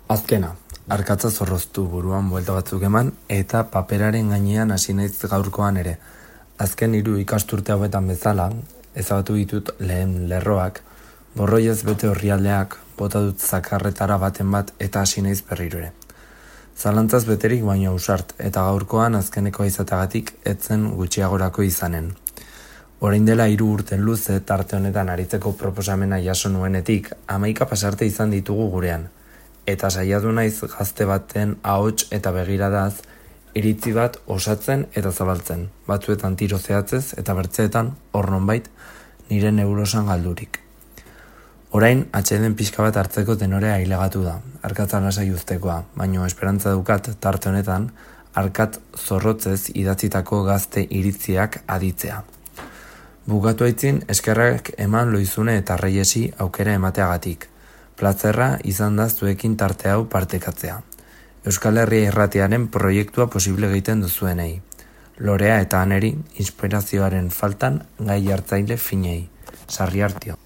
Azkena, arkatza zorroztu buruan buelta batzuk eman eta paperaren gainean hasi naiz gaurkoan ere. Azken 3 ikasturte hauetan bezala, ezabatu ditut lehen lerroak, borroiez bete orrialdeak, bota dut zakarretara baten bat eta hasi naiz berriro ere. Zalantzaz beterik baino ausart eta gaurkoan azkeneko izatagatik etzen gutxiagorako izanen. Orain dela 3 urte luze tarte honetan aritzeko proposamena jaso nuenetik 11 pasarte izan ditugu gurean. Eta saiatu naiz gazte baten ahots eta begiradaz iritzi bat osatzen eta zabaltzen, batzuetan tiro zehatzez eta bertzeetan hor nonbait nire neurosan galdurik. Orain atseden pixka bat hartzeko tenorea ailegatu da, arkatza lasai uztekoa, baino esperantza dukat tarte honetan arkat zorrotzez idatzitako gazte iritziak aditzea. Bukatu aitzin eskerrak eman Loizune eta Reiesi aukera emateagatik. Plazerra izan da zuekin tarte hau partekatzea. Euskal Herria Irratiaren proiektua posible egiten duzuenei. Lorea eta Aneri inspirazioaren faltan gai hartzaile finei. Sarri Artio.